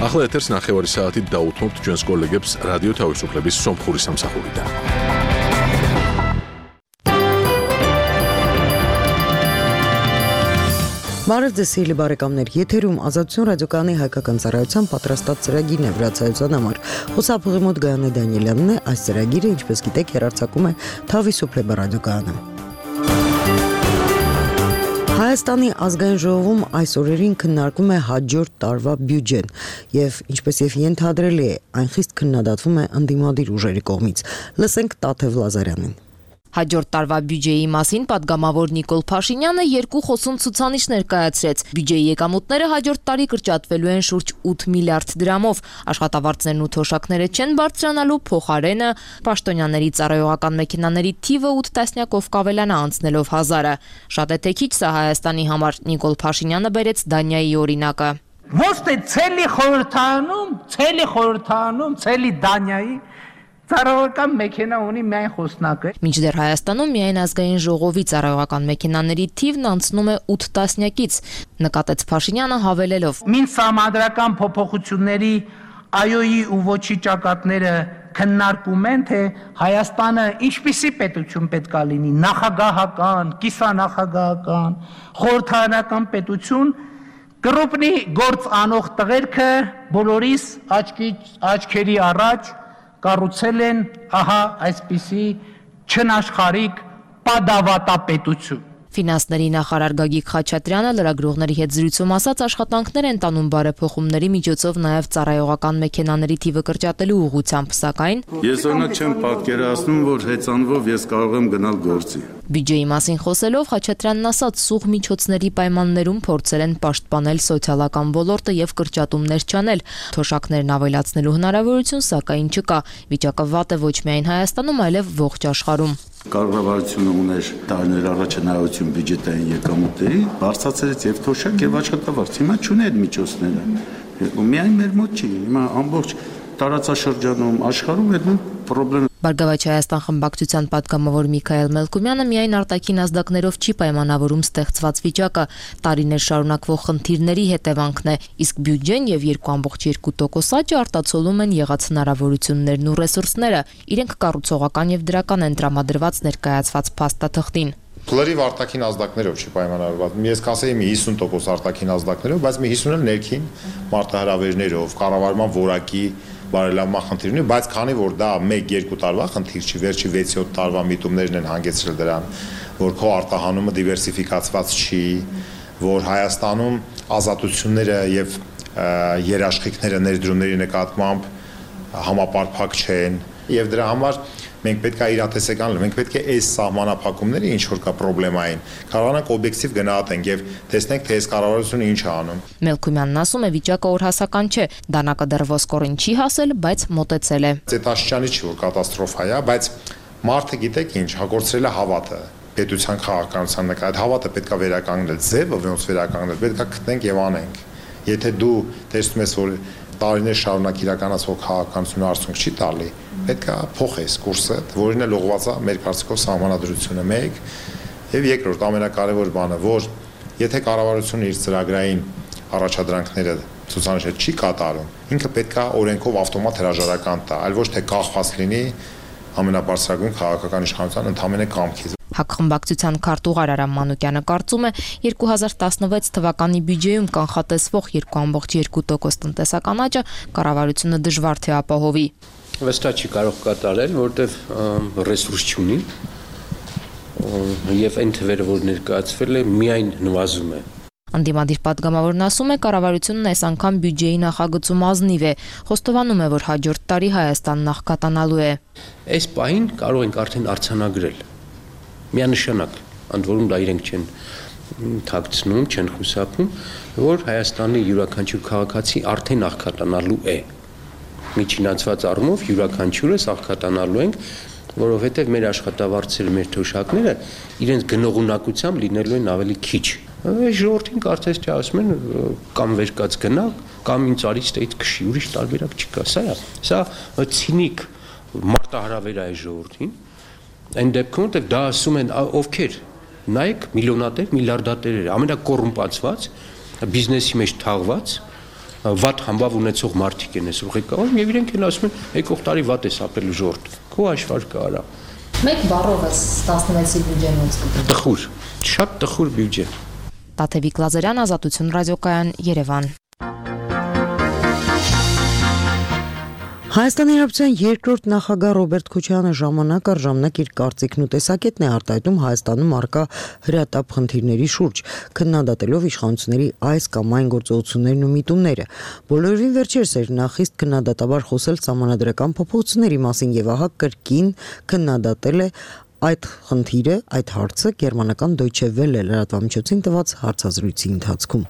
ახლა ეთერს ნახევარი საათით დაუთმობთ ჩვენს კოლეგებს რადიო თავისუფლების სომხური სამსახურიდან. Բարև ձեզ սիրելի բարեկամներ, եթերում Ազատություն ռադիոկայանի հայկական ծառայության պատրաստած ծրագիրն է վրացայության համար։ Խոսափողի մոտ Գայանե Դանիելյանն է, այս ծրագիրը, ինչպես գիտեք, հեռարձակում է Թավիսուփլեբա ռադիոկայանը։ Հայաստանի ազգային ժողովում այս օրերին քննարկվում է հաջորդ տարվա բյուջեն եւ ինչպես եւ ենթադրելի է, այն խիստ քննադատվում է ընդդիմադիր ուժերի կողմից։ Լսենք Տաթև Լազարյանին։ Հաջորդ տարվա բյուջեի մասին պատգամավոր Նիկոլ Փաշինյանը երկու խոսուն ցուցանիշ ներկայացրեց։ Բյուջեի եկամուտները հաջորդ տարի կրճատվելու են շուրջ 8 միլիարդ դրամով։ Աշխատավարձներն ու թոշակները չեն բարձրանալու, փոխարենը պաշտոնյաների ծառայողական մեքենաների թիվը 8 տասնյակով կավելանա անցնելով 1000-ը։ Շատ է թե քիչ սա Հայաստանի համար, Նիկոլ Փաշինյանը բերեց Դանիայի օրինակը։ Ոչ թե ցելի խորհրդանում, ցելի Դանիայի ծառայողական մեքենա ունի միայն խոսնակը։ Մինչդեռ Հայաստանում միայն ազգային ժողովի ծառայողական մեքենաների թիվն անցնում է 8 տասնյակից, նկատեց Փաշինյանը հավելելով. Մինչ համադրական փոփոխությունների այոյի ու ոչի ճակատները քննարկում են, թե Հայաստանը ինչպիսի պետություն պետք է լինի, նախագահական, կիսանախագահական, խորհրդարանական պետություն, կրոպնի գործ անող տղերքը բոլորիս աչքերի առաջ կառուցել են ահա այսպիսի չնաշխարհիկ պատավատապետություն։ Ֆինանսների նախարար Գագիկ Խաչատրյանը լրագրողների հետ զրույցում ասաց, աշխատանքներ են տանում բարեփոխումների միջոցով նաև ծառայողական մեքենաների թիվը կրճատելու ուղղությամբ, սակայն ես օրինակ չեմ պատկերացնում, որ հեծանվով ես կարող եմ գնալ գործի։ Բյուջեի մասին խոսելով Խաչատրյանն ասաց, սուղ միջոցների պայմաններում փորձել են պաշտպանել սոցիալական ոլորտը եւ կրճատումներ չանել։ Թոշակներն ավելացնելու հնարավորություն սակայն չկա։ Վիճակը վատ է ոչ միայն Հայաստանում, այլև ողջ աշխարհում։ Կառավարությունը ուներ տարիներ առաջ հնարավորություն բյուջետային եկամուտների բարձրացրեց եւ թոշակ եւ աշխատավարձ։ Հիմա չունի այդ միջոցները։ Միայն մեր մոտ չի, հիմա ամբողջ տարածաշրջանում աշխարհում այդ խնդիրը։ Բարգավաճ Հայաստան խմբակցության պատգամավոր Միքայել Մելքումյանը միայն արտաքին ազդակներով չի պայմանավորում ստեղծված վիճակը, տարիներ շարունակվող խնդիրների հետևանքն է, իսկ բյուջեն եւ 2.2% աճը արտացոլում են եղած հնարավորություններն ու ռեսուրսները, իրենք կառուցողական եւ դրական են տրամադրված ներկայացված փաստաթղթին։ Լրիվ արտաքին ազդակներով չի պայմանավորված։ Ես կասեի մի 50% արտաքին ազդակներով, բայց մի 50% էլ ներքին մարտահրավերներով, կառավարման որակի բարելավման խնդիր ունի, բայց քանի որ դա 1-2 տարվա խնդիր չի, վերջի 6-7 տարվա միտումներն են հանգեցրել դրան, որ քո արտահանումը դիվերսիֆիկացված չի, որ Հայաստանում ազատությունները եւ երաշխիքները ներդրումների նկատմամբ համապարփակ չեն, եւ դրա համար մենք պետք է իրատեսական լինենք, մենք պետք է այս սահմանափակումները ինչ որ կա պրոբլեմային, կարողանանք օբյեկտիվ գնահատենք եւ տեսնենք, թե այս կառավարությունը ինչ է անում։ Մելքումյանն ասում է, վիճակը օրհասական չէ, դանակը դեռ ոսկորին չի հասել, բայց մոտեցել է։ Ձետաշրջանի չի որ կատաստրոֆա է, բայց մարդը գիտեք ինչ, հագործրել է հավատը պետության քաղաքականության նկատմամբ, այդ հավատը պետք է վերականգնել, ձևը ոնց վերականգնել, պետք է գտնենք եւ անենք։ Եթե դու տեսնում ես, որ տարիներ շարունակ իրականացվող քաղաքականությունը արդյունք չի տալի, պետք է փոխես կուրսը, որին էլ ուղղված է մեր կարծիքով սահմանադրությունը 1 եւ երկրորդ ամենակարևոր բանը, որ եթե կառավարությունը իր ծրագրային առաջադրանքները ցուցանիշը չի կատարում, ինքը պետք է օրենքով ավտոմատ հրաժարական տա, այլ ոչ թե կախված լինի ամենաբարձրագույն քաղաքական իշխանության ընդհանրապես կամքից։ Հակխմբակցության քարտուղար Արամ Մանուկյանը կարծում է 2016 թվականի բյուջեում կանխատեսվող 2.2% տնտեսական աճը կառավարությունը դժվար թե ապահովի։ Վստահ չի կարող կատարել, որտեղ ռեսուրս չունի եւ այն թվերը, որ ներկայացվել է, միայն նվազում է։ Ընդդիմադիր պատգամավորն ասում է, կառավարությունն այս անգամ բյուջեի նախագծում ազնիվ է, խոստովանում է, որ հաջորդ տարի Հայաստանն աղքատանալու է։ Այս պահին կարող ենք արդեն արձանագրել միանշանակ, ընդ որում դա իրենք չեն թաքցնում, չեն խուսափում, որ Հայաստանի յուրաքանչյուր քաղաքացի արդեն աղքատանալու է։ Միջինացված առումով յուրաքանչյուրս աղքատանալու ենք, որովհետև մեր աշխատավարձերը, մեր թոշակները իրենց գնողունակությամբ լինելու են ավելի քիչ։ Ժողովրդին կարծես թե ասում են կամ վերկաց գնա, կամ ինձ արից տեից քշի, ուրիշ տարբերակ չկա, սա ցինիկ մարտահրավեր է ժողովրդին։ Այն դեպքում դա ասում են ովքեր, նայեք միլիոնատեր, միլիարդատերերը, ամենակոռումպացված, բիզնեսի մեջ թաղված, վատ համբավ ունեցող մարդիկ են այսօր ղեկավարում եւ իրենք են ասում են եկող տարի վատ է ապրել ժողովուրդ քո հաշվարկը արա Մեկ բառով է 16-ի բյուջեն ոնց կգտնի տխուր շատ տխուր բյուջե Տաթևիկ Լազարյան Ազատություն ռադիոկայան Երևան Հայաստանի Հանրապետության երկրորդ նախագահ Ռոբերտ Քոչարյանը ժամանակ առ ժամանակ իր կարծիքն ու տեսակետն է արտահայտում Հայաստանում առկա հրատապ խնդիրների շուրջ, քննադատելով իշխանությունների այս կամ այն գործողություններն ու միտումները։ Բոլորովին վերջերս էր նա խիստ քննադատաբար խոսել սահմանադրական փոփոխությունների մասին եւ ահա կրկին քննադատել է այդ խնդիրը, այդ հարցը գերմանական Deutsche Welle լրատվամիջոցին տված հարցազրույցի ընթացքում։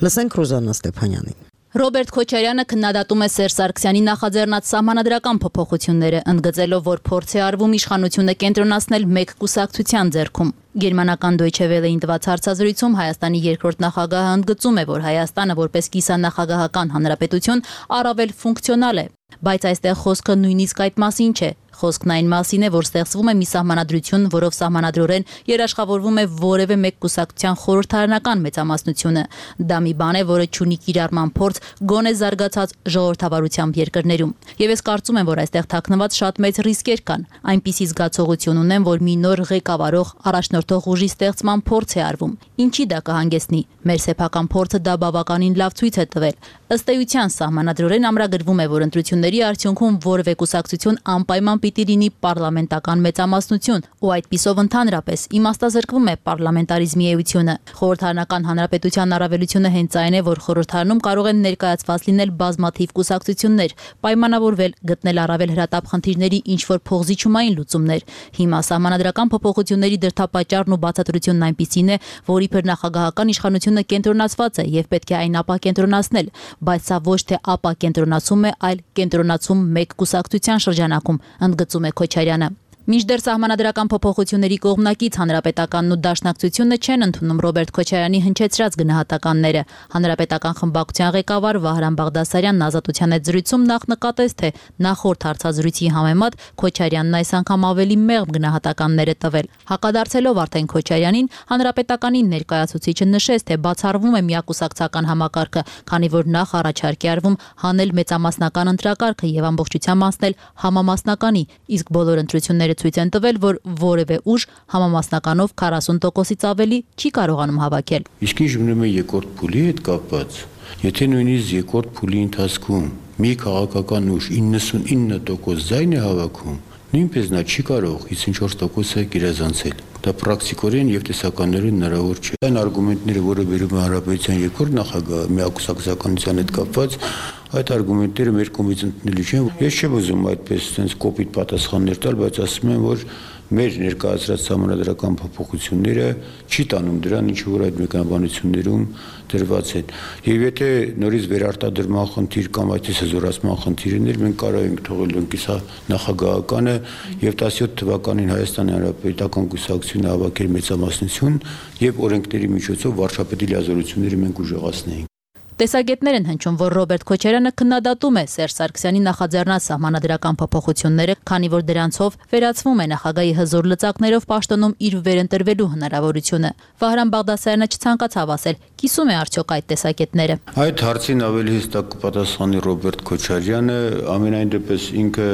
Լսենք Ռոզաննա Ստեփանյանին։ Ռոբերտ Քոչարյանը քննադատում է Սերժ Սարգսյանի նախաձեռնած սահմանադրական փոփոխությունները, ընդգծելով, որ փորձ է արվում իշխանությունը կենտրոնացնել մեկ կուսակցության ձեռքում։ Գերմանական Deutsche Welle-ին տված հարցազրույցում Հայաստանի երկրորդ նախագահը ընդգծում է, որ Հայաստանը որպես կիսանախագահական հանրապետություն առավել ֆունկցիոնալ է, բայց այստեղ խոսքը նույնիսկ այդ մասին չէ։ Խոսքն այն մասին է, որ ստեղծվում է մի սահմանադրություն, որով սահմանադրորեն երաշխավորվում է որևէ մեկ կուսակցության խորհրդարանական մեծամասնությունը։ Դա մի բան է, որը չունի կիրառման փորձ գոնե զարգացած ժողովրդավարությամբ երկրներում։ Եվ ես կարծում եմ, որ այստեղ թաքնված շատ մեծ ռիսկեր կան։ Այնպիսի զգացողություն ունեմ, որ մի նոր ղեկավարող առաջնորդող ուժի ստեղծման փորձ է արվում։ Ինչի դա կհանգեցնի։ Մեր սեփական փորձը դա բավականին լավ ցույց է տվել։ Ըստ էության սահմանադրորեն ամրագրվում է, որ ընտրությունների արդյունքում որևէ կուսակցություն անպայման պիտի լինի պարլամենտական մեծամասնություն, ու այդպիսով ընդհանրապես իմաստազրկվում է պարլամենտարիզմի էությունը։ Խորհրդարանական հանրապետության առավելությունը հենց այն է, որ խորհրդարանում կարող են ներկայացված լինել բազմաթիվ կուսակցություններ, պայմանավորվել, գտնել առավել հրատապ խնդիրների ինչ-որ փոխզիջումային լուծումներ։ Հիմա սահմանադրական փոփոխությունների դրդապատճառն ու բացատրությունն այնպիսին է, որ իբր նախագահական իշխանությունը կենտրոնացված է եւ պետք է այն ապակենտրոնացնել, բայց սա ոչ թե ապակենտրոնացում է, այլ կենտրոնացում մեկ կուսակցության շրջանակում, ընդգծում է Քոչարյանը։ Մինչդեռ սահմանադրական փոփոխությունների կողմնակից հանրապետականն ու դաշնակցությունը չեն ընդունում Ռոբերտ Քոչարյանի հնչեցրած գնահատականները։ Հանրապետական խմբակցության ղեկավար Վահրամ Բաղդասարյանն Ազատության հետ զրույցում նախ նկատեց, թե նախորդ հարցազրույցի համեմատ Քոչարյանն այս անգամ ավելի մեղմ գնահատականներ է տվել։ Հակադարձելով արդեն Քոչարյանին, հանրապետականի ներկայացուցիչը նշեց, թե բացառվում է միակուսակցական համակարգը, քանի որ նախ առաջարկ է արվում հանել մեծամասնական ընտրակարգը եւ ամբողջությամբ անցնել համամասնականի, իսկ բոլոր ընտրությունները ցույց են տվել, որ որևէ ուժ համամասնականով 40%-ից ավելի չի կարողանում հավաքել։ Իսկ ինչ մնում է երկրորդ փուլի հետ կապված, եթե նույնիսկ երկրորդ փուլի ընթացքում մի քաղաքական ուժ 99% ձայն է հավաքում, նույնպես նա չի կարող 54%-ը գերազանցել։ Դա պրակտիկորեն եւ տեսականորեն հնարավոր չէ։ Այն արգումենտները, որը վերում է հանրապետության երկրորդ նախագահ միակուսակցականության հետ կապված, այդ արգումենտները մեր կողմից ընդունելի չեն։ Ես չեմ ուզում այդպես sense կոպիտ պատասխաններ տալ, բայց ասում եմ, որ մեր ներկայացրած համանդրական փոփոխությունները չի տանում դրան, ինչ որ այդ մեկանաբանություններում դրված են։ Եվ եթե նորից վերարտադրման խնդիր կամ այդպես հզորացման խնդիրներ, մենք կարող ենք թողել ընկիսա նախագահականը եւ 17 թվականին Հայաստանի Հանրապետական կուսակցությունը հավաքել մեծամասնություն եւ օրենքների միջոցով վարչապետի լիազորությունները մենք ուժեղացնեինք։ Տեսակետներ են հնչում, որ Ռոբերտ Քոչարյանը քննադատում է Սերժ Սարգսյանի նախաձեռնած սահմանադրական փոփոխությունները, քանի որ դրանցով վերացվում է նախագահի հզոր լծակներով պաշտոնում իր վերընտրվելու հնարավորությունը։ Վահրամ Բաղդասարյանը չցանկացավ ասել, կիսում է արդյոք այդ տեսակետները։ Այդ հարցին ավելի հստակ կպատասխանի Ռոբերտ Քոչարյանը, ամենայն դեպս ինքը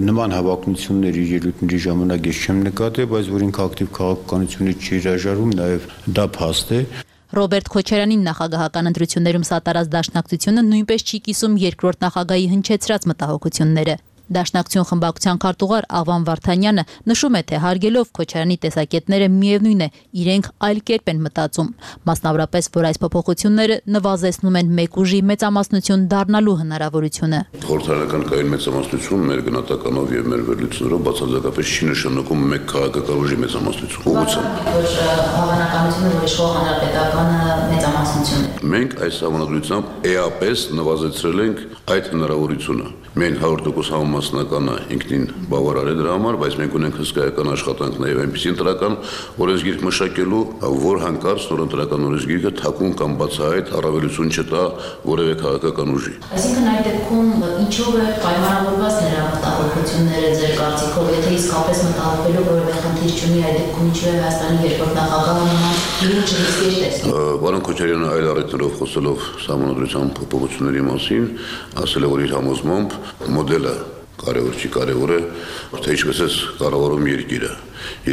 նման հավակնություններ իր ելույթների ժամանակ ես չեմ նկատել, բայց որ ինքը ակտիվ քաղաքականությունը չի հրաժարվում, նաև դա փաստ է։ Ռոբերտ Քոչարյանին նախագահական ընտրություններում սատարած դաշնակցությունը նույնպես չի կիսում երկրորդ նախագահի հնչեցրած մտահոգությունները։ Դաշնակցություն խմբակցության քարտուղար Աղվան Վարդանյանը նշում է, թե հարգելով Քոչարյանի տեսակետները միևնույն է, իրենք այլ կերպ են մտածում, մասնավորապես, որ այս փոփոխությունները նվազեցնում են մեկ ուժի մեծամասնություն դառնալու հնարավորությունը։ Խորհրդարանական կայուն մեծամասնություն մեր գնահատականով եւ մեր վերլուծություններով բացարձակապես չի նշանակում մեկ քաղաքական ուժի մեծամասնություն։ Ուղղությամբ հավանականությունը, որ իշխող հանրապետականը մեծամասնություն է։ Մենք այս համանդրությամբ էապես նվազեցրել ենք այդ հնարավորությունը։ Մենք 100% համասնականը ինքնին բավարար է դրա համար, բայց մենք ունենք հսկայական աշխատանք նաև այնպիսի ընտրական օրենսգիրք մշակելու, որ հանկարծ նոր ընտրական օրենսգիրքը թաքուն կամ բացահայտ առավելություն չտա որևէ քաղաքական ուժի։ Այսինքն այդ դեպքում ինչով է պայմանավորված նրա մտահոգությունները ձեր կարծիքով, եթե իսկապես մտահոգվելու որևէ խնդիր չունի, այդ դեպքում ինչու է Հայաստանի երկրորդ նախագահը նման իրեն չրիսկեր տեսնում։ Պարոն Քոչարյանը այլ առիթներով խոսելով Սահմանադրության փոփոխությունների մասին, ասել է, որ իր համոզմամբ մոդելը կարևոր չի, կարևոր է, թե ինչպես է կառավարում երկիրը։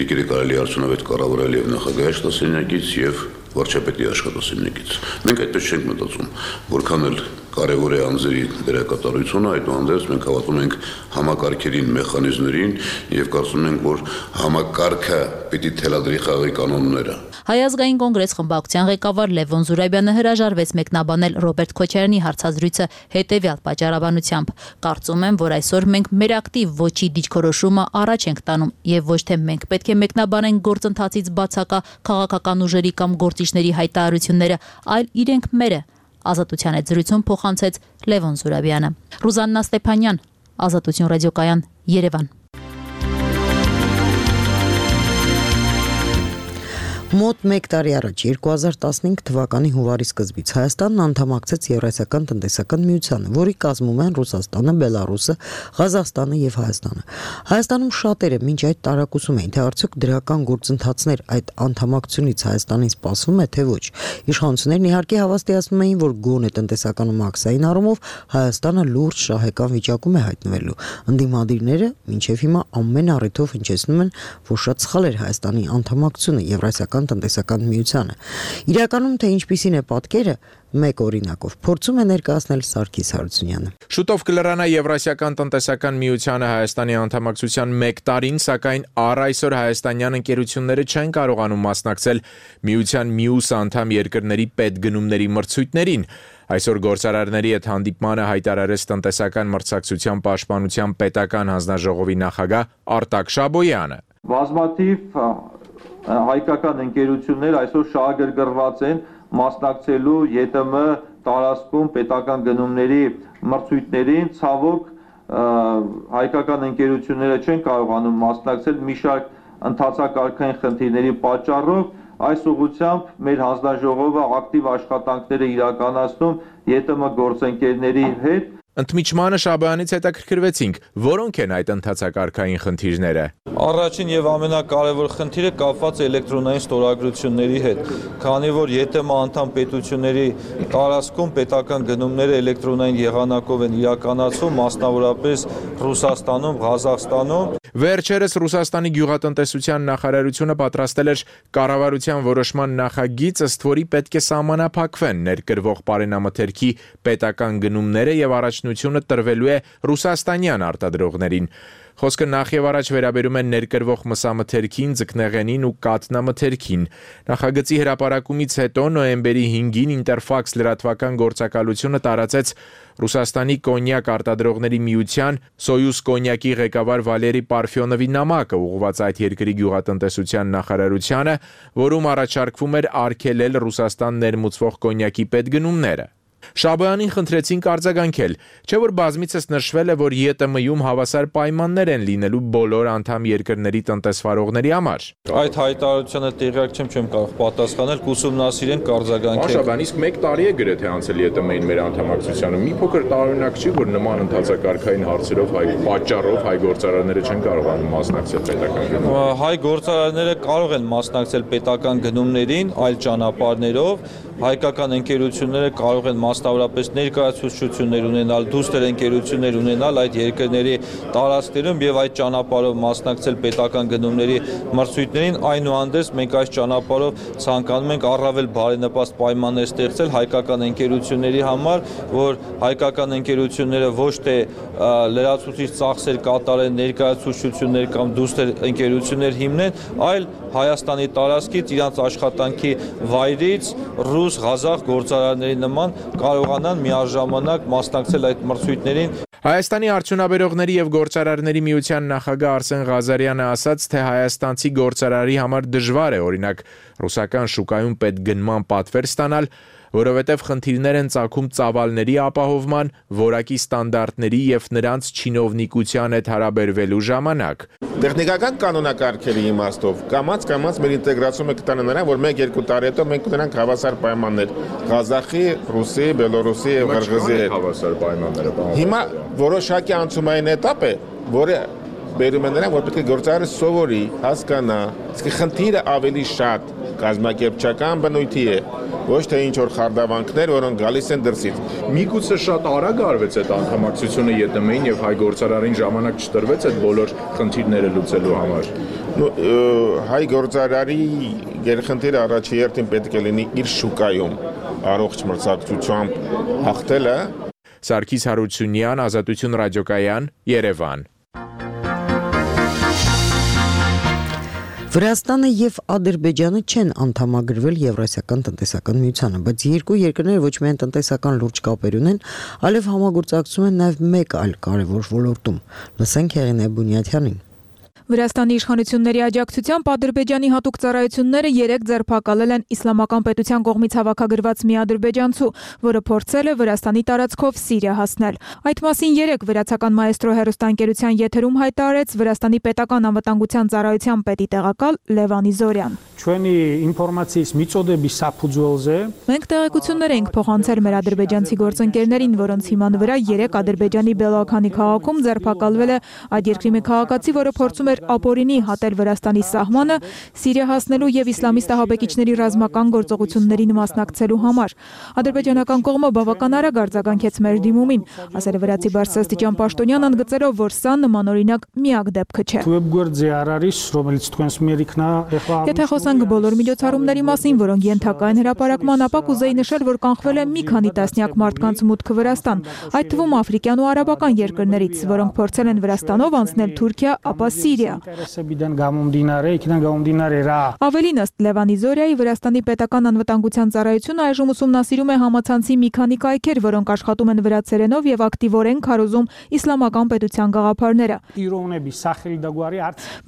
Երկիրը կարելի է արդյունավետ կառավարել եւ նախագահի աշխատասենյակից եւ վարչապետի աշխատասենյակից։ Մենք այդպես չենք մտածում, որքան էլ կարևոր է անձերի դերակատարությունը, այդուհանդերձ մենք հավատում ենք համակարգերին, մեխանիզմներին եւ կարծում ենք, որ համակարգը պիտի թելադրի խաղի կանոնները։ Հայ ազգային կոնգրես խմբակցության ղեկավար Լևոն Զուրաբյանը հրաժարվեց մեկնաբանել Ռոբերտ Քոչարյանի հարցազրույցը հետևյալ պատճառաբանությամբ. կարծում եմ, որ այսօր մենք մեր ակտիվ ոչի դիճքորոշումը առաջ ենք տանում եւ ոչ թե մենք պետք է մեկնաբանենք գործընթացից բացակա քաղաքական ուժերի կամ գործիչների հայտարարությունները, այլ իրենք մերը, Ազատության հետ զրույցում փոխանցեց Լևոն Զուրաբյանը։ Ռուզաննա Ստեփանյան, Ազատություն ռադիոկայան, Երևան։ Մոտ 1 տարի առաջ 2015 թվականի հունվարի սկզբից Հայաստանն անդամակցեց Եվրասիական տնտեսական միությանը, որի կազմում են Ռուսաստանը, Բելարուսը, Ղազախստանը եւ Հայաստանը։ Հայաստանում շատերը մինչ այդ տարակուսում էին, թե արդյոք դրական գործընթացներ այդ անդամակցությունից Հայաստանին սպասվում է, թե ոչ։ Իշխանություններն իհարկե հավաստիացնում էին, որ գոնե տնտեսական ու մաքսային առումով Հայաստանը լուրջ շահեկան վիճակում է հայտնվելու։ Ընդդիմադիրները մինչև հիմա ամեն առիթով հնչեցնում են, որ շատ սխալ էր Հայաստանի անդամակցությունը Եվրասիական տնտեսական միությանը։ Իրականում թե ինչպիսին է պատկերը, մեկ օրինակով փորձում է ներկայացնել Սարգիս Հարությունյանը։ Շուտով կլրանա Եվրասիական տնտեսական միությանը Հայաստանի անդամակցության 1 տարին, սակայն առ այսօր հայաստանյան ընկերությունները չեն կարողանում մասնակցել միության մյուս անդամ երկրների պետգնումների մրցույթներին։ Այսօր գործարարների հետ հանդիպմանը հայտարարեց տնտեսական մրցակցության պաշտպանության պետական հանձնաժողովի նախագահ Արտակ Շաբոյանը։ Բազմաթիվ հայկական ընկերություններ այսօր շահագրգռված են մասնակցելու ԵՏՄ տարածքում պետական գնումների մրցույթներին, ցավոք հայկական ընկերությունները չեն կարողանում մասնակցել մի շարք ընթացակարգային խնդիրների պատճառով։ Այս ուղղությամբ մեր հանձնաժողովը ակտիվ աշխատանքներ է իրականացնում ԵՏՄ գործընկերների հետ։ Ընդմիջմանը Շաբոյանից հետաքրքրվեցինք, որոնք են այդ ընթացակարգային խնդիրները։ Առաջին եւ ամենակարևոր խնդիրը կապված է էլեկտրոնային ստորագրությունների հետ, քանի որ ԵՏՄ անդամ պետությունների տարածքում պետական գնումները էլեկտրոնային եղանակով են իրականացվում, մասնավորապես Ռուսաստանում, Ղազախստանում։ Վերջերս Ռուսաստանի գյուղատնտեսության նախարարությունը պատրաստել էր կառավարության որոշման նախագիծ, ըստ որի պետք է սահմանափակվեն ներկրվող պարենամթերքի պետական գնումները եւ առաջնությունը տրվելու է ռուսաստանյան արտադրողներին։ Խոսքը նախ եւ առաջ վերաբերում է ներկրվող մսամթերքին, ձկնեղենին ու կաթնամթերքին։ Նախագծի հրապարակումից հետո նոյեմբերի 5-ին Ինտերֆաքս լրատվական գործակալությունը տարածեց Ռուսաստանի կոնյակ արտադրողների միության Սոյուզ կոնյակի ղեկավար Վալերի Պարֆյոնովի նամակը, ուղղված այդ երկրի գյուղատնտեսության նախարարությանը, որում առաջարկվում էր արգելել Ռուսաստան ներմուծվող կոնյակի պետգնումները։ Շաբոյանին խնդրեցինք արձագանքել, չէ՞ որ բազմիցս նշվել է, որ ԵՏՄ-ում հավասար պայմաններ են լինելու բոլոր անդամ երկրների տնտեսվարողների համար։ Այդ հայտարարությանը տեղյակ չեմ կարող պատասխանել, կուսումնասիրենք, կարձագանքենք։ Շաբոյան, իսկ 1 տարի է գրեթե անցել ԵՏՄ-ին մեր անդամակցությանը։ Մի փոքր տարօրինակ չի, որ նման ընթացակարգային հարցերով պատճառով հայ գործարարները չեն կարողանում մասնակցել պետական գնումներին։ Հայ գործարարները կարող են մասնակցել պետական գնումներին այլ ճանապարհներով, հայկական ընկերությունները կարող են մասնավորապես ներկայացուցչություններ ունենալ, դուստր ընկերություններ ունենալ այդ երկրների տարածքներում եւ այդ ճանապարհով մասնակցել պետական գնումների մրցույթներին, այնուհանդերձ մենք այս ճանապարհով ցանկանում ենք առավել բարենպաստ պայմաններ ստեղծել հայկական ընկերությունների համար, որ հայկական ընկերությունները ոչ թե լրացուցիչ ծախսեր կատարեն, ներկայացուցչություններ կամ դուստր ընկերություններ հիմնեն, այլ Հայաստանի տարածքից իրանց աշխատանքի վայրից ռուս, ղազախ գործարարների նման կարողանան միաժամանակ մասնակցել այդ մրցույթներին։ Հայաստանի արդյունաբերողների եւ գործարարների միության նախագահ Արսեն Ղազարյանը ասաց, թե հայաստանցի գործարարի համար դժվար է օրինակ ռուսական շուկայում պետգնման պատվեր ստանալ, որովհետև խնդիրներ են ծագում ծավալների ապահովման, որակի ստանդարտների եւ նրանց չինովնիկության հետ հարաբերվելու ժամանակ։ Տեխնիկական կանոնակարգերի իմաստով կամաց մեր ինտեգրացումը կտանը նրան, որ 1-2 տարի հետո մենք ունենանք հավասար պայմաններ Ղազախի, Ռուսի, Բելորուսի եւ Ղրղզի հետ։ Հավասար պայմանները։ Հիմա որոշակի անցումային էտապ է, որը բերում է նրան, որ պետք է գործարարը սովորի, հասկանա, իսկ խնդիրը ավելի շատ կազմակերպչական բնույթի է, ոչ թե ինչ որ խարդավանքներ, որոնք գալիս են դրսից։ Միգուցե շատ արագ արվեց այդ անդամակցությունը ԵՏՄ-ին եւ հայ գործարարին ժամանակ չտրվեց այդ բոլոր խնդիրները լուծելու համար։ Հայ գործարարի գերխնդիրը առաջի հերթին պետք է լինի իր շուկայում առողջ մրցակցությամբ հաղթելը։ Սարգիս Հարությունյան, Ազատություն ռադիոկայան, Երևան։ Վրաստանը եւ Ադրբեջանը չեն անդամագրվել Եվրասիական տնտեսական միությանը, բայց երկու երկրները ոչ միայն տնտեսական լուրջ կապեր ունեն, այլև համագործակցում են նաեւ մեկ այլ կարևոր ոլորտում։ Լսենք Հեղինե Բունյաթյանին։ Վրաստանի իշխանությունների աջակցությամբ Ադրբեջանի հատուկ ծառայությունները 3 ձերբակալել են իսլամական պետության կողմից հավաքագրված մի ադրբեջանցու, որը փորձել է Վրաստանի տարածքով Սիրիա հասնել։ Այդ մասին 3 վրացական մայեստրո հեռուստաընկերության եթերում հայտարարեց Վրաստանի պետական անվտանգության ծառայության պետի տեղակալ Լևան Իզորյան։ Մենք տեղեկություններ ենք փոխանցել մեր ադրբեջանցի գործընկերներին, որոնց հիման վրա 3 Ադրբեջանի Բելոքանի քաղաքում ձերբակալվել է այդ երկրի մի քաղաքացի, որը փորձում էր ապօրինի հատել Վրաստանի սահմանը Սիրիա հասնելու եւ իսլամիստ ահաբեկիչների ռազմական գործողություններին մասնակցելու համար։ Ադրբեջանական կողմը բավական արագ արձագանքեց մեր դիմումին, ասել է վրացի բարձրաստիճան պաշտոնյան, ընդգծելով, որ սա նմանօրինակ միակ դեպքը չէ։ Եթե խոսանք բոլոր միջոցառումների մասին, որոնք ենթակա են հրապարակման, ապա կուզեի նշել, որ կանխվել է մի քանի տասնյակ մարդկանց մուտքը Վրաստան, այդ թվում աֆրիկյան ու արաբական երկրներից, որոնք փորձել են Վրաստանով անցնել Թուրքիա, ապա Սիրիա։ Ավելին, ըստ Լևան Իզորյայի, Վրաստանի պետական անվտանգության ծառայությունը այժմ ուսումնասիրում է համացանցի մի քանի կայքեր, որոնք աշխատում են վրացերենով եւ ակտիվորեն քարոզում իսլամական պետության գաղափարները։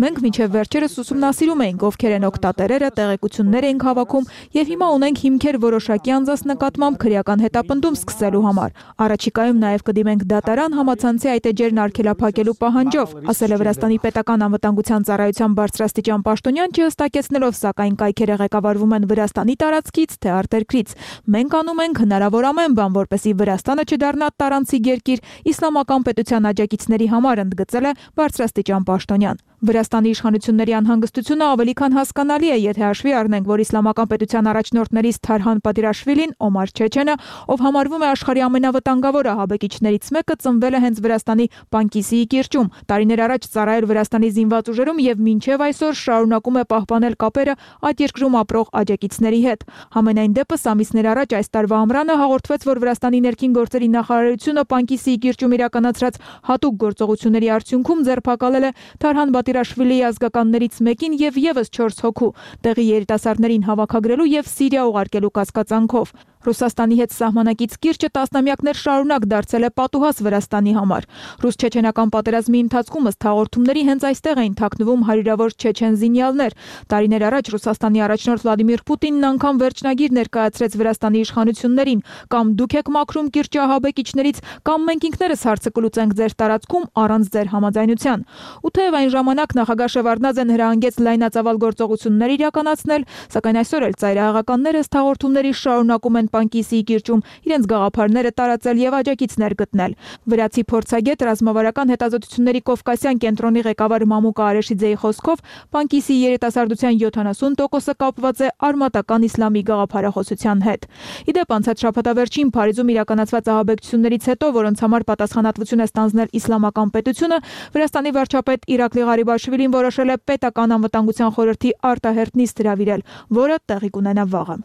Մենք մինչև վերջերս ուսումնասիրում էինք, ովքեր են օգտատերերը, տեղեկություններ ենք հավաքում եւ հիմա ունենք հիմքեր որոշակի անձանց նկատմամբ քրեական հետապնդում սկսելու համար։ Առաջիկայում նաեւ կդիմենք դատարան համացանցի այդ էջերն արգելափակելու պահանջով, ասել է Վրաստանի պետական անվտանգության ծառայության բարձրաստիճան պաշտոնյան, չհստակեցնելով, սակայն կայքերը ղեկավարվում են Վրաստանի տարածքից թե արտերկրից։ Մենք անում ենք հնարավոր ամեն բան, որպեսզի Վրաստանը չդառնա տարանցիկ երկիր իսլամական պետության աջակիցների համար, ընդգծել է բարձրաստիճան պաշտոնյան։ Վրաստանի իշխանությունների անհանգստությունը ավելի քան հասկանալի է, եթե հաշվի առնենք, որ իսլամական պետության առաջնորդներից Թարհան Պատիրաշվիլին, Օմար Չեչենը, ով համարվում է աշխարհի ամենավտանգավոր ահաբեկիչներից մեկը, ծնվել է հենց Վրաստանի Պանկիսիի կիրճում։ Տարիներ առաջ ծառայել Վրաստանի զինված ուժերում եւ մինչեւ այսօր շարունակում է պահպանել կապերը այդ երկրում ապրող աջակիցների հետ։ Համենայն դեպս ամիսներ առաջ այս տարվա ամռանը հաղորդվեց, որ Վրաստանի ներքին գործերի նախարարությունը Պանկիսիի կիրճում իրականացրած հատուկ գործողությունների արդյունքում ձերբակալել է Թարհան Պատիրաշվիլիի ազգականներից մեկին եւ եւս 4 հոգու, տեղի երիտասարդներին հավաքագրելու եւ Սիրիա ուղարկելու կասկածանքով։ Ռուսաստանի հետ սահմանակից կիրճը տասնամյակներ շարունակ դարձել է պատուհաս Վրաստանի համար։ Ռուս-չեչենական պատերազմի ընթացքում ըստ հաղորդումների հենց այստեղ էին թաքնվում հարյուրավոր չեչեն զինյալներ։ Տարիներ առաջ Ռուսաստանի առաջնորդ Վլադիմիր Պուտինն անգամ վերջնագիր ներկայացրեց Վրաստանի իշխանություններին. կամ դուք եք մաքրում կիրճի ահաբեկիչներից, կամ մենք ինքներս հարցը կլուծենք ձեր տարածքում առանց ձեր համաձայնության։ Ու թեև այն ժամանակ նախագահ Շևարդնաձեն հրահանգեց լայնածավալ գործողություններ իրականացնել, սակայն այսօր էլ ծայրահեղականները ըստ հաղորդումների շարունակում են Պանկիսիի կիրճում իրենց գաղափարները տարածել եւ աջակիցներ գտնել։ Վրացի փորձագետ ռազմավարական հետազոտությունների Կովկասյան կենտրոնի ղեկավար Մամուկա Արեշիձեի խոսքով Պանկիսիի երիտասարդության 70%-ը կապված է արմատական իսլամի գաղափարախոսության հետ։ Իդեպ անցած շաբաթավերջին Փարիզում իրականացված ահաբեկչություններից հետո, որոնց համար պատասխանատվություն է ստանձնել իսլամական պետությունը, Վրաստանի վարչապետ Իրակլի Ղարիբաշվիլին որոշել է պետական անվտանգության խորհրդի արտահերթ նիստ հրավիրել, որը տեղի կունենա վաղը։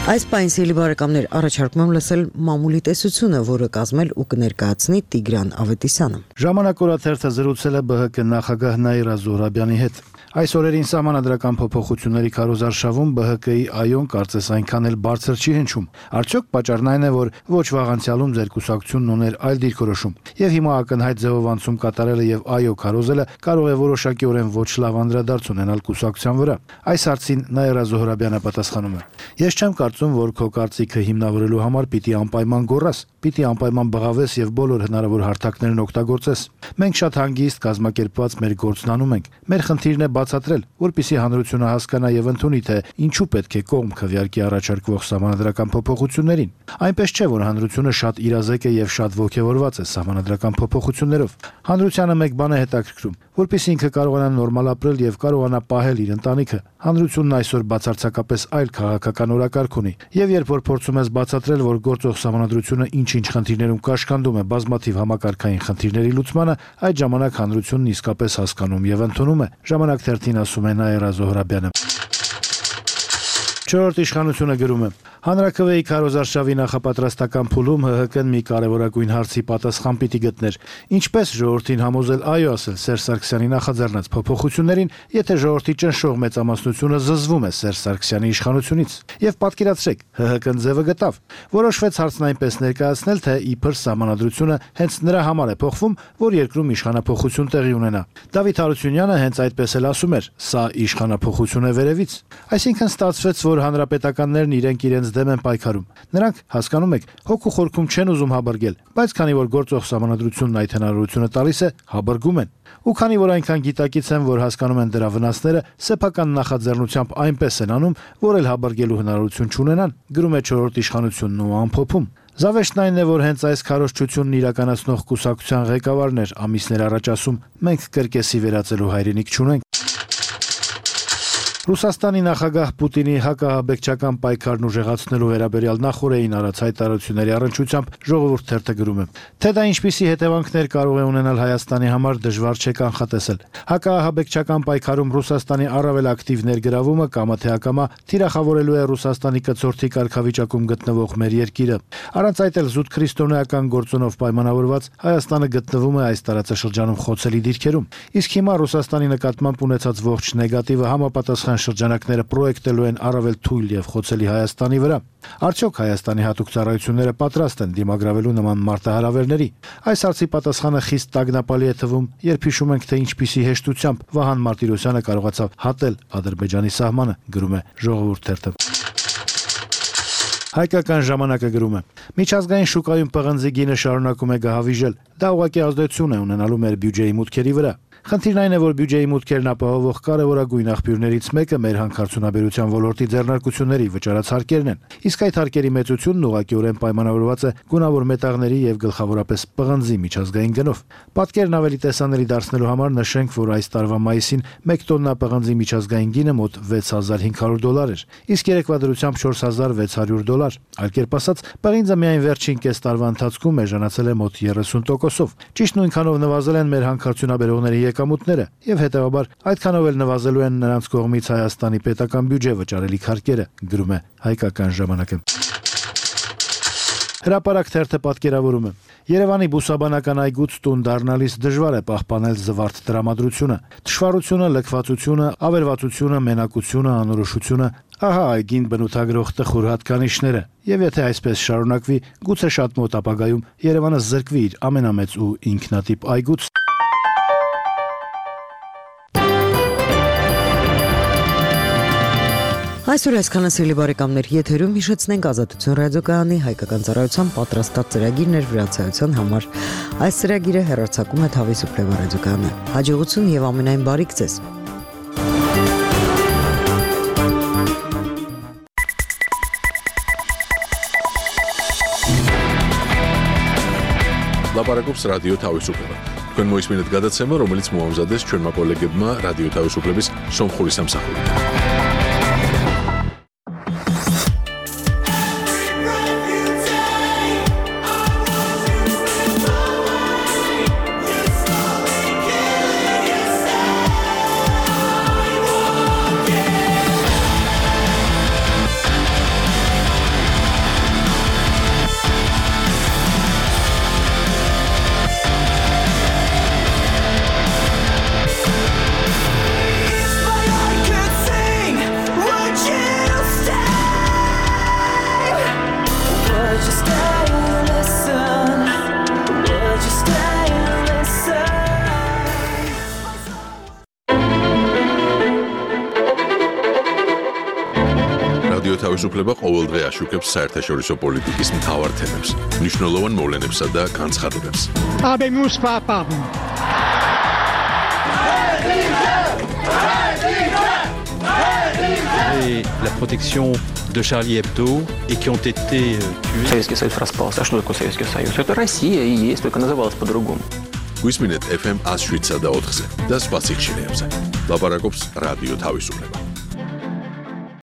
Այս պայն սիրելի բարեկամներ, առաջարկում եմ լսել մամուլի տեսությունը, որը կազմել ու կներկայացնի Տիգրան Ավետիսյանը։ Ժամանակ օրաթերթը զրուցել է ԲՀԿ նախագահ Նաիրա Զոհրաբյանի հետ։ Այս օրերին սահմանադրական փոփոխությունների քարոզարշավում ԲՀԿ-ի այոն կարծես այնքան էլ բարձր չի հնչում։ Արդյոք պատճառն այն է, որ ոչ վաղ անցյալում ձեր կուսակցությունն ուներ այլ դիրքորոշում, եւ հիմա ակնհայտ ձևով անցում կատարելը եւ այո քարոզելը կարող է որոշակիորեն ոչ լավ անդրադարձ ունենալ կուսակցության վրա։ Այս հարցին Նաիրա Զոհրաբյանը պատասխանում է. Ես չեմ կարծում, որ քո կարծիքը հիմնավորելու համար պիտի անպայման գոռաս, պիտի անպայման բղավես եւ բոլոր հնարավոր հարթակներն օգտագործես։ Մենք շատ հանգիստ կազմակերպված մեր գործն անում ենք։ Մեր խնդիրն է բացատրել, որպեսզի հանրությունը հասկանա եւ ընդունի, թե ինչու պետք է կողմ քվեարկի առաջարկվող սահմանադրական փոփոխություններին։ Այնպես չէ, որ հանրությունը շատ իրազեկ է եւ շատ ողջավորված է սահմանադրական փոփոխություններով։ Հանրությանը մեկ բան է հետաքրքրում, որպեսզի ինքը կարողանա նորմալ ապրել եւ կարողանա պահել իր ընտանիքը։ Հանրությունն այսօր բացարձակապես այլ քաղաքական օրակարգ ունի, եւ երբ որ փորձում ես բացատրել, որ գործող սահմանադրությունը ինչ-ինչ խնդիրներում կաշկանդում է բազմաթիվ համակարգային խնդիրների լուծմանը, այդ ժամանակ հանրությունն իսկապես հասկանում եւ ընդունում է։ Ժամանակ թերթին ասում է Նաիրա Զոհրաբյանը։ Չորրորդ իշխանությունը գրում է. Հանրաքվեի քարոզարշավի նախապատրաստական փուլում ՀՀԿ-ն մի կարևորագույն հարցի պատասխան պիտի գտներ. ինչպես ժողովրդին համոզել այո ասել Սերժ Սարգսյանի նախաձեռնած փոփոխություններին, եթե ժողովրդի ճնշող մեծամասնությունը զզվում է Սերժ Սարգսյանի իշխանությունից։ Եվ պատկերացրեք, ՀՀԿ-ն ձևը գտավ։ Որոշվեց հարցն այնպես ներկայացնել, թե իբր սահմանադրությունը հենց նրա համար է փոխվում, որ երկրում իշխանափոխություն տեղի ունենա։ Դավիթ Հարությունյանը հենց այդպես էլ ասում էր. սա իշխանափոխություն է վերևից։ Այսինքն ստացվեց, որ հանրապետականներն իրենց դեմ են պայքարում։ Նրանք, հասկանում եք, հոգու խորքում չեն ուզում հաբրգել, բայց քանի որ գործող սահմանադրությունն այդ հնարավորությունը տալիս է, հաբրգում են։ Ու քանի որ այնքան գիտակից են, որ հասկանում են դրա վնասները, սեփական նախաձեռնությամբ այնպես են անում, որ էլ հաբրգելու հնարավորություն չունենան, գրում է չորրորդ իշխանությունն ու ամփոփում։ Զավեշտն այն է, որ հենց այս քարոզչությունն իրականացնող կուսակցության ղեկավարն էր ամիսներ առաջ ասում. մենք կրկեսի վերածելու հայրենիք չունենք։ Ռուսաստանի նախագահ Պուտինի հակահաբեկչական պայքարն ուժեղացնելու վերաբերյալ նախորդային արած հայտարարությունների առնչությամբ Ժողովուրդ թերթը գրում է. թե դա ինչպիսի հետևանքներ կարող է ունենալ Հայաստանի համար դժվար չէ կանխատեսել։ Հակահաբեկչական պայքարում Ռուսաստանի առավել ակտիվ ներգրավումը կամա թե ակամա թիրախավորելու է Ռուսաստանի կցորդի կարգավիճակում գտնվող մեր երկիրը։ Առանց այդ էլ զուտ քրիստոնեական գործոնով պայմանավորված Հայաստանը գտնվում է այս տարածաշրջանում խոցելի դիրքերում։ Իսկ հիմա Ռուսաստանի նկատմամբ ունեցած ողջ նեգատիվը համապատասխան շրջանակները պրոյեկտելու են առավել թույլ եւ խոցելի Հայաստանի վրա։ Արդյոք Հայաստանի հատուկ ծառայությունները պատրաստ են դիմագրավելու նման մարտահրավերների։ Այս հարցի պատասխանը խիստ տագնապալի է թվում, երբ հիշում ենք, թե ինչպիսի հեշտությամբ Վահան Մարտիրոսյանը կարողացավ հատել Ադրբեջանի սահմանը, գրում է Ժողովուրդ թերթը։ Հայկական ժամանակը գրում է. միջազգային շուկայում պղնձի գինը շարունակում է գահավիժել։ Դա ուղղակի ազդեցություն է ունենալու մեր բյուջեի մուտքերի վրա։ Խնդիրն այն է, որ բյուջեի մուտքերն ապահովող կարևորագույն աղբյուրներից մեկը մեր հանքարդյունաբերության ոլորտի ձեռնարկությունների վճարած հարկերն են։ Իսկ այդ հարկերի մեծությունն ուղղակիորեն պայմանավորված է գունավոր մետաղների եւ գլխավորապես պղնձի միջազգային գնով։ Պատկերն ավելի տեսանելի դարձնելու համար նշենք, որ այս տարվա մայիսին 1 տոննա պղնձի միջազգային գինը մոտ $6500 էր, իսկ երեկվա դրությամբ $4600։ Այլ կերպ ասած, պղինձը միայն վերջին կես տարվա ընթացքում էժանացել է մոտ 30%-ով։ Ճիշտ նույնքանով նվազել են մեր հանքարդյունաբերողների եկամուտները եւ հետեւաբար այդքանով էլ նվազելու են նրանց կողմից Հայաստանի պետական բյուջե վճարելիք հարկերը, գրում է Հայկական ժամանակը։ Հրապարակ թերթը պատկերավորում է. Երևանի բուսաբանական այգուց տուն դառնալիս դժվար է պահպանել զվարթ տրամադրությունը, թշվառությունը, լքվածությունը, ավերվածությունը, մենակությունը, անորոշությունը, ահա այգին բնութագրող տխուր հատկանիշները։ Եվ եթե այսպես շարունակվի, գուցե շատ մոտ ապագայում Երևանը զրկվի իր ամենամեծ ու ինքնատիպ այգուց։ Այսօր այսքանը սիրելի բարեկամներ, եթերում հիշեցնենք Ազատություն ռադիոկայանի հայկական ծառայության պատրաստած ծրագիրներ վրացայության համար։ Այս ծրագիրը հեռարձակում է Թավի Սուպլեվա ռադիոկայանը։ Հաջողություն եւ ամենայն բարիք ձեզ։ Լապարակոպս ռադիո Թավի Սուպլեվա։ Քան մոյս մինուտ գադացեմը, ռոմելից մոհամզադես չորմա կոլեգեբմա ռադիո Թավի Սուպլեվիս շոմ խորիսամ սախորի։ რადიო თავისუფლება ყოველდღე აშუქებს საერთაშორისო პოლიტიკის მთავარ თემებს, მნიშვნელოვან მოვლენებსა და განცხადებებს. Habemus papam. Et la protection de Charlie Hebdo et qui ont été tués. Советский Союз распался. А что такое Советский Союз? Это Россия и есть, только называлась по-другому. გვისმინეთ FM 107 და 4-ზე და სხვა სიხშირეებზე. ლაპარაკობს რადიო თავისუფლება.